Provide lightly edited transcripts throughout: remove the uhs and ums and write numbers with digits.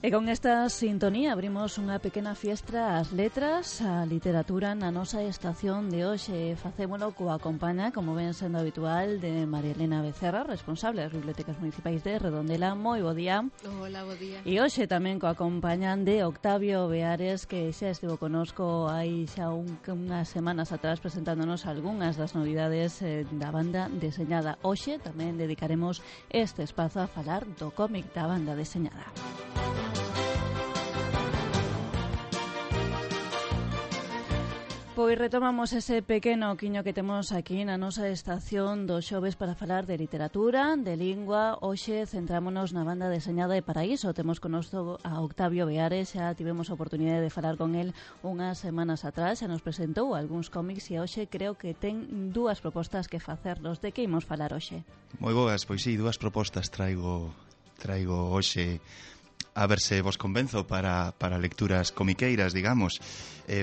E con esta sintonía abrimos unha pequena fiestra ás letras, a literatura na nosa estación de hoxe. Facémolo coa compaña, como ven sendo habitual, de María Elena Becerra, responsable das bibliotecas municipais de Redondela. Moi bo día. Hola, bo día. E hoxe tamén coa compaña de Octavio Beares, que xa estivo conosco hai xa unhas semanas atrás presentándonos algunhas das novidades da banda deseñada. Hoxe tamén dedicaremos este espazo a falar do cómic da banda deseñada. Pois retomamos ese pequeno quiño que temos aquí na nosa estación dos xoves para falar de literatura, de lingua. Hoxe centrámonos na banda deseñada de Paraíso. Temos connosco a Octavio Beares, xa tivemos a oportunidade de falar con el unhas semanas atrás, xa nos presentou algúns cómics e hoxe creo que ten dúas propostas que facernos. De que imos falar hoxe? Moi boas, pois sí, dúas propostas traigo hoxe a ver se vos convenzo para lecturas comiqueiras, digamos.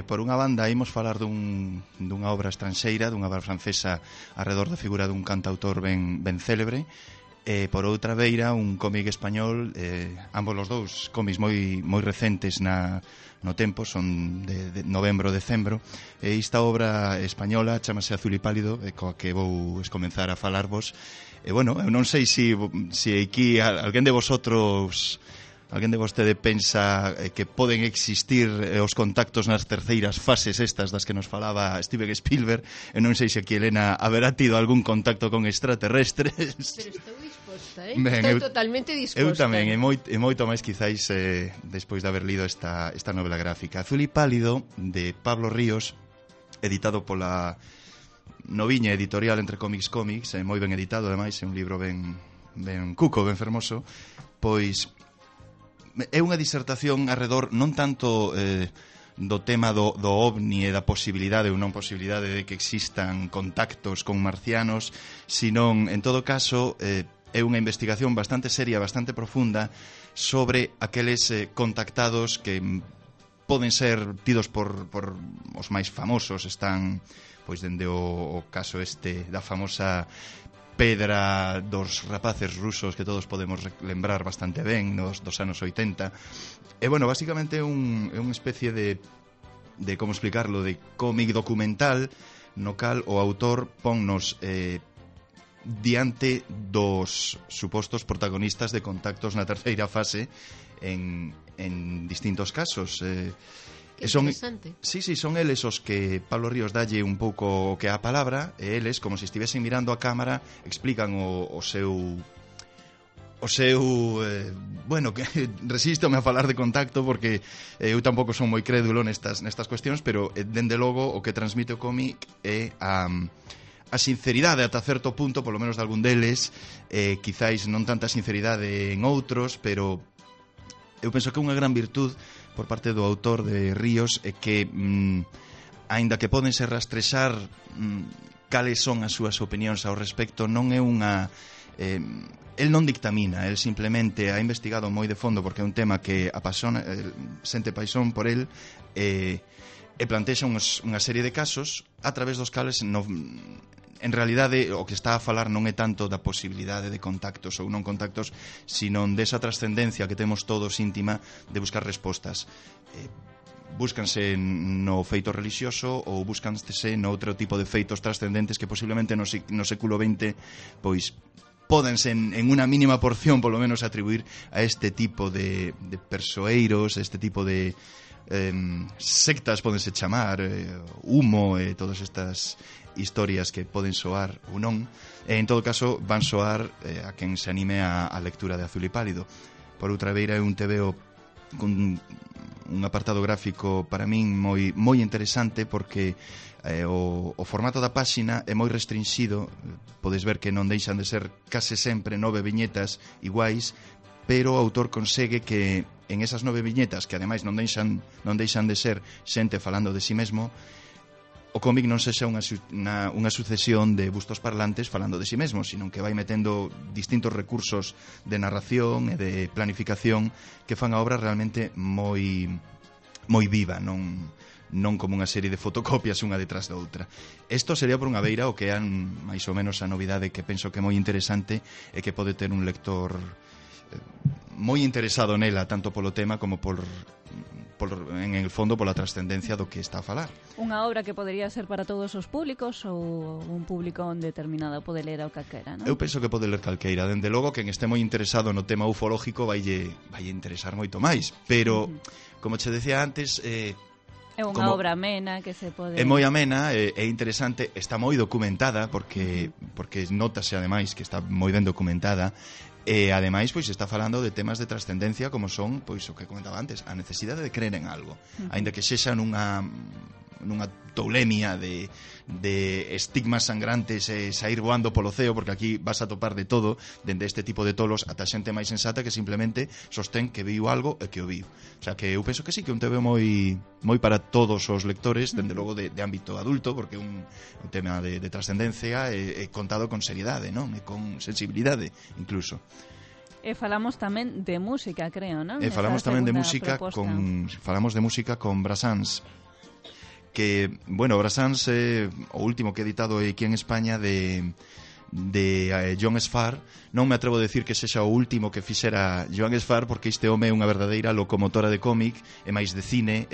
Por unha banda, imos falar dunha obra estranxeira, dunha obra francesa arredor da figura dun cantautor ben célebre. Por outra beira, un cómic español, ambos os dous cómics moi recentes no tempo, son de novembro, decembro. Esta obra española chamase Azul y Pálido, coa que vou comenzar a falarvos. Bueno, eu non sei se aquí alguén de vosotros... Alguén de vostede pensa que poden existir os contactos nas terceiras fases estas das que nos falaba Steven Spielberg. Eu non sei se aquí, Elena, haberá tido algún contacto con extraterrestres. Pero estou disposta, estou totalmente disposta. Eu tamén, e moito máis quizáis despois de haber lido esta novela gráfica. Azul y Pálido, de Pablo Ríos, editado pola Noviña Editorial entre Cómics, moi ben editado, ademais, é un libro ben cuco, ben fermoso. Pois é unha disertación arredor non tanto do tema do ovni e da posibilidade ou non posibilidade de que existan contactos con marcianos, senón, en todo caso, é unha investigación bastante seria, bastante profunda sobre aqueles contactados que poden ser tidos por os máis famosos. Están, pois, dende o caso da famosa pedra dos rapaces rusos que todos podemos lembrar bastante ben dos anos 80. E, bueno, basicamente é unha especie de como explicarlo, de cómic documental no cal o autor ponnos diante dos supostos protagonistas de contactos na terceira fase en distintos casos. Que interesante. Sí, son eles os que Pablo Ríos dalle un pouco o que é a palabra, e eles, como se estivesen mirando a cámara, explican o seu bueno, que resístome a falar de contacto porque eu tampouco son moi crédulo nestas cuestións, pero dende logo o que transmite o cómic é a sinceridade ata certo punto, polo menos de algún deles, quizáis non tanta sinceridade en outros, pero eu penso que unha gran virtud por parte do autor de Ríos é que, aínda que podense rastrexar cales son as súas opinións ao respecto, non é unha... el non dictamina, el simplemente ha investigado moi de fondo porque é un tema que apasona, sente paixón por el, e plantexa unha serie de casos a través dos cales en realidade o que está a falar non é tanto da posibilidade de contactos ou non contactos, sino desa trascendencia que temos todos íntima de buscar respostas. Búscanse no feito religioso ou búscanse no outro tipo de feitos trascendentes que posiblemente no século XX pois pódense en unha mínima porción polo menos atribuir a este tipo de persoeiros, este tipo de sectas, pódense chamar, humo e todas estas historias que poden soar ou non, e en todo caso van soar a quen se anime a lectura de Azul y Pálido. Por outra beira é un TVO con un apartado gráfico para min moi interesante porque o formato da páxina é moi restrinxido. Podes ver que non deixan de ser case sempre 9 viñetas iguais, pero o autor consegue que en esas 9 viñetas, que ademais non deixan de ser xente falando de si mesmo, o cómic non sexa unha sucesión de bustos parlantes falando de si mesmo, sino que vai metendo distintos recursos de narración e de planificación que fan a obra realmente moi viva, non como unha serie de fotocopias unha detrás da outra. Isto sería por unha beira o que é máis ou menos a novidade que penso que é moi interesante e que pode ter un lector moi interesado nela, tanto polo tema como en el fondo pola trascendencia do que está a falar. Unha obra que podería ser para todos os públicos ou un público determinado pode ler ao calquera, non? Eu penso que pode ler calqueira. Dende logo, quen este moi interesado no tema ufológico vai interesar moito máis. Pero, como che decía antes... é unha obra amena que se pode... É moi amena, é interesante, está moi documentada, porque notase ademais que está moi ben documentada. E ademais pois está falando de temas de trascendencia como son, pois o que comentaba antes, a necesidade de creer en algo, aínda que sexa nunha toulemia de estigmas sangrantes e sair voando polo ceo, porque aquí vas a topar de todo, dende este tipo de tolos ata xente máis sensata que simplemente sostén que viu algo e que o viu. O sea que eu penso que sí, que é un TV moi para todos os lectores, dende logo de ámbito adulto, porque é un tema de trascendencia e contado con seriedade, non? E con sensibilidade, incluso. E falamos tamén de música, creo, non? E falamos tamén de música falamos de música con Brassens, que, bueno, Brassens é o último que he editado aquí en España de John Sfar. Non me atrevo a decir que sexa o último que fixera Joan Sfar, porque este home é unha verdadeira locomotora de cómic e máis de cine.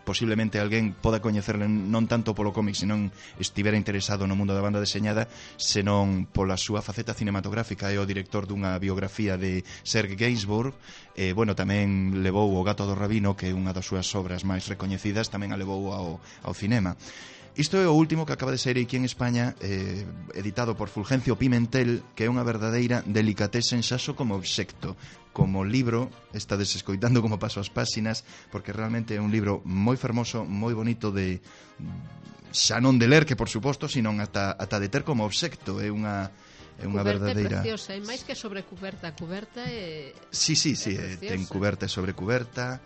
Posiblemente alguén poda coñecerle non tanto polo cómic, senón estivera interesado no mundo da banda deseñada, senón pola súa faceta cinematográfica. É o director dunha biografía de Serge Gainsbourg. Bueno, tamén levou O gato do rabino, que é unha das súas obras máis recoñecidas, tamén a levou ao cinema. Isto é o último que acaba de sair aquí en España, editado por Fulgencio Pimentel, que é unha verdadeira delicatese en xaso como obxecto. Como libro, estades escoitando como paso as páxinas, porque realmente é un libro moi fermoso, moi bonito xa non de ler, que por suposto, sino ata de ter como obxecto. É unha verdadeira... Cuberta é preciosa, e máis que sobre cuberta. Cuberta é... Sí, ten cuberta e sobre cuberta.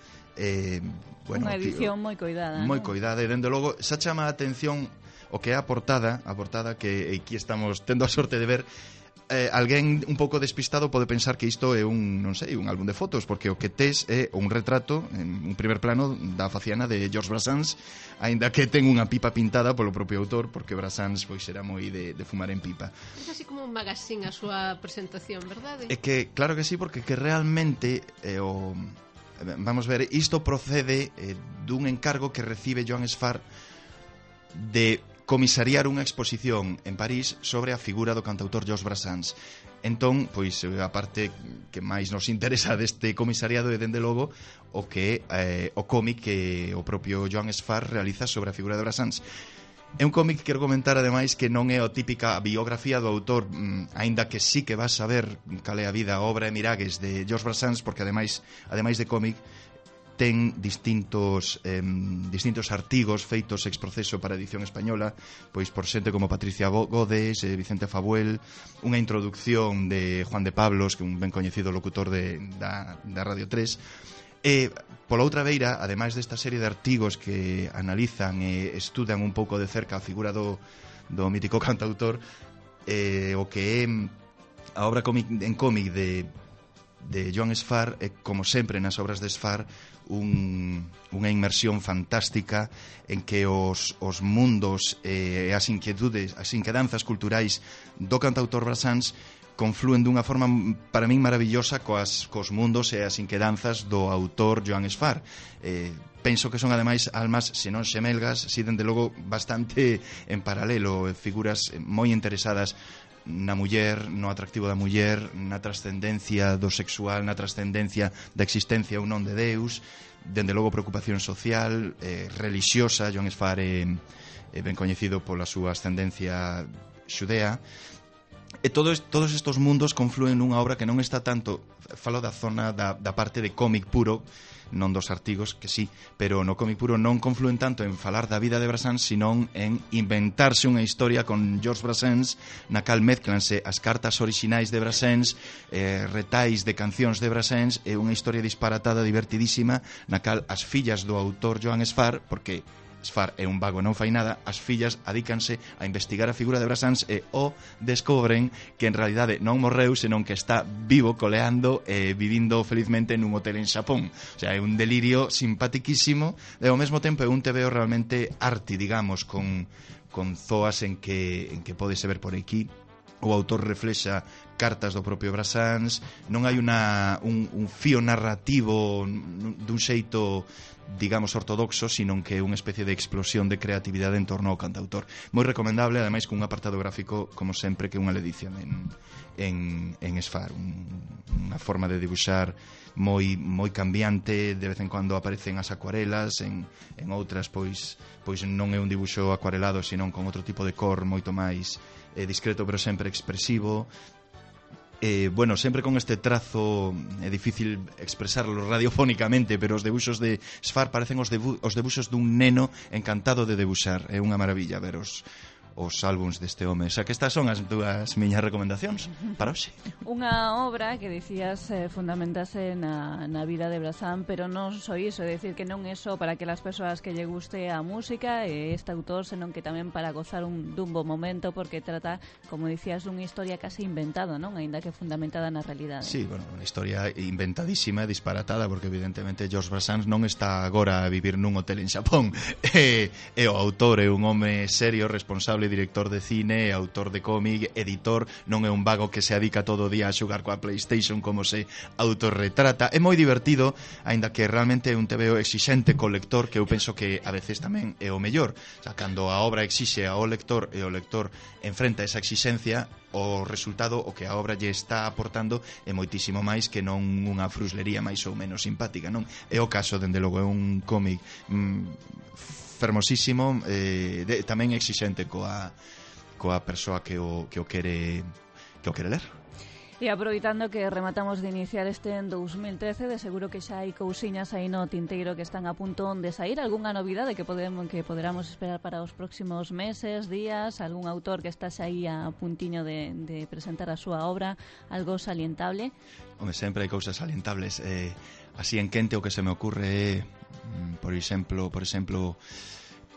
Bueno, unha edición moi coidada, moi coidada, e dende logo xa chama a atención o que é a portada que aquí estamos tendo a sorte de ver. Alguén un pouco despistado pode pensar que isto é un álbum de fotos, porque o que tes é un retrato en un primer plano da faciana de Georges Brassens, aínda que ten unha pipa pintada polo propio autor, porque Brassens pois era moi de fumar en pipa. É así como un magazín a súa presentación, verdade? É que, claro que sí, porque que realmente vamos ver, isto procede dun encargo que recibe Joan Sfar de comisariar unha exposición en París sobre a figura do cantautor Georges Brassens. Entón, pois, a parte que máis nos interesa deste comisariado é, dende logo, o que o cómic que o propio Joan Sfar realiza sobre a figura de Brassens. É un cómic que quero comentar, ademais, que non é a típica biografía do autor, aínda que sí que vas a ver cal é a vida, a obra e miragues de Georges Brassens, porque ademais de cómic ten distintos artigos feitos ex proceso para a edición española, pois por xente como Patricia Godes, Vicente Fabuel, unha introducción de Juan de Pablos, que é un ben coñecido locutor da Radio 3. E, pola outra beira, ademais desta serie de artigos que analizan e estudan un pouco de cerca a figura do mítico cantautor, o que é a obra en cómic de Joan Sfar, como sempre nas obras de Sfar, unha inmersión fantástica en que os mundos e as inquietudes, as inquedanzas culturais do cantautor Brassens conflúen dunha forma para min maravillosa cos mundos e as inquedanzas do autor Joan Sfar. Penso que son ademais almas, se non xemelgas, si dende logo bastante en paralelo, figuras moi interesadas na muller, no atractivo da muller, na trascendencia do sexual, na trascendencia da existencia ou non de Deus, dende logo preocupación social, relixiosa. Joan Sfar é ben coñecido pola súa ascendencia xudea. E todos estes mundos conflúen nunha obra que non está tanto, falo da zona da parte de cómic puro, non dos artigos, que sí, pero no cómic puro non conflúen tanto en falar da vida de Brassens, senón en inventarse unha historia con Georges Brassens, na cal mezclanse as cartas orixinais de Brassens, retais de cancións de Brassens, e unha historia disparatada, divertidísima, na cal as fillas do autor Joan Sfar, porque Sfar é un vago e non fai nada, as fillas adícanse a investigar a figura de Brassens e descobren que en realidade non morreu, senón que está vivo, coleando e vivindo felizmente nun hotel en Xapón. O sea, é un delirio simpatiquísimo e ao mesmo tempo é un TVO realmente arty, digamos, con zoas en que podese ver por aquí. O autor reflexa cartas do propio Brassens, non hai un fío narrativo dun xeito, digamos, ortodoxo, sino que é unha especie de explosión de creatividade en torno ao cantautor. Moi recomendable, ademais, cun apartado gráfico, como sempre, que unha edición en Sfar, unha forma de dibuixar moi cambiante. De vez en cando aparecen as acuarelas, en outras pois non é un dibuixo acuarelado, sino con outro tipo de cor moito máis discreto, pero sempre expresivo. Bueno, sempre con este trazo é difícil expresarlo radiofónicamente, pero os debuxos de Sfar parecen os debuxos dun neno encantado de debuxar. É unha maravilla ver os álbums deste home. Xa que estas son as dúas miñas recomendacións para hoxe. Unha obra que dicías fundamentase na vida de Brasán, pero non só iso, é dicir que non é só para aquelas persoas que lle guste a música e este autor, senón que tamén para gozar dun bo momento, porque trata, como dicías, dunha historia casi inventada, non? Aínda que fundamentada na realidade. Sí, bueno, unha historia inventadísima e disparatada, porque evidentemente Georges Brassens non está agora a vivir nun hotel en Xapón. E o autor é un home serio, responsable, director de cine, autor de cómic, editor, non é un vago que se adica todo o día a xogar coa PlayStation como se autorretrata. É moi divertido, aínda que realmente é un TVO exixente co lector, que eu penso que a veces tamén é o mellor. O sea, cando a obra exixe ao lector e o lector enfrenta esa exigencia, o resultado, o que a obra lle está aportando é moitísimo máis que non unha fruslería máis ou menos simpática, non? É o caso, dende logo, é un cómic fermosísimo, tamén exixente coa persoa que o quere ler. E aproveitando que rematamos de iniciar este en 2013, de seguro que xa hai cousiñas aí no tinteiro que están a punto de sair. Algunha novidade que poderamos esperar para os próximos meses, días? Algún autor que estás aí a puntiño de presentar a súa obra? Algo salientable? Home, sempre hai cousas salientables. Así en quente o que se me ocurre é, por exemplo,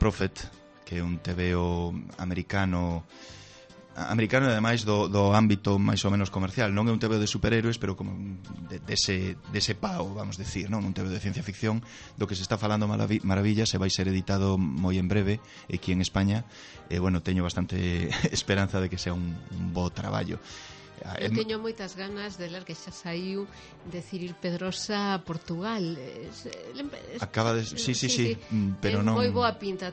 Prophet, que é un TVO americano e ademais do ámbito máis ou menos comercial. Non é un TVO de superhéroes, pero como dese pao, vamos decir, non? Un TVO de ciencia ficción do que se está falando maravillas, e vai ser editado moi en breve aquí en España. Bueno, teño bastante esperanza de que sea un bo traballo. Eu teño moitas ganas de ler, que xa saiu, de Ciril Pedrosa a Portugal. Acaba de... Sí, pero non... Ten moi boa pinta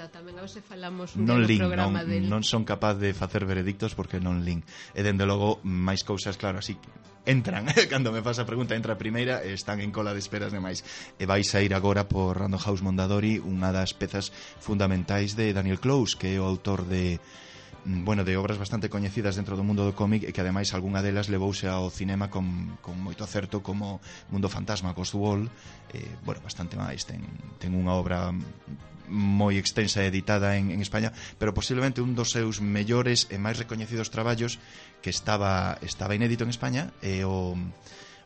tamén. A ver se falamos un programa del... Non son capaz de facer veredictos porque non lin. E dende logo, máis cousas, claro, así entran. Cando me faz a pregunta, entra a primeira e están en cola de esperas demais. E vai sair agora por Random House Mondadori unha das pezas fundamentais de Daniel Close, que é o autor de obras bastante coñecidas dentro do mundo do cómic, e que ademais algunha delas levouse ao cinema con moito acerto, como Mundo Fantasma, Ghost Wall. Bastante máis. Ten unha obra moi extensa editada en España, pero posiblemente un dos seus mellores e máis recoñecidos traballos, que estaba inédito en España, é o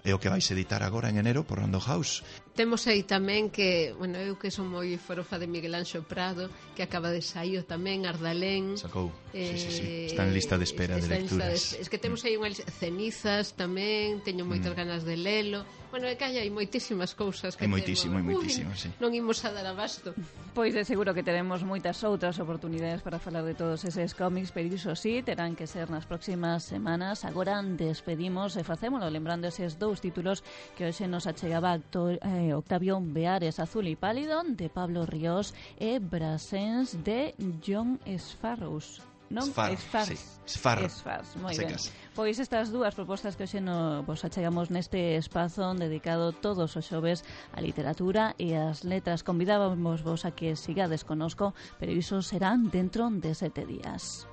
que vais editar agora en enero por Random House. Temos aí tamén que, eu que son moi forofa de Miguel Anxo Prado, que acaba de sair tamén, Ardalén. Sacou, sí. Está en lista de espera de lecturas. Es que temos aí unha Cenizas tamén, teño moitas ganas de lelo. É que hai moitísimas cousas que moitísimo, sí. Non imos a dar abasto. Pois de seguro que teremos moitas outras oportunidades para falar de todos eses cómics, pero iso sí, terán que ser nas próximas semanas. Agora despedimos e facémolo lembrando eses dous títulos que hoxe nos achegaba Octavio Beares, Azul y Pálido, de Pablo Ríos, e Brassens, de John Sfarrows. Non? Sfar. Moi ben. Pois estas dúas propostas que hoxe vos achegamos neste espazo dedicado todos os xoves á literatura e ás letras. Convidábamos vos a que sigades conosco, pero iso serán dentro de 7 días.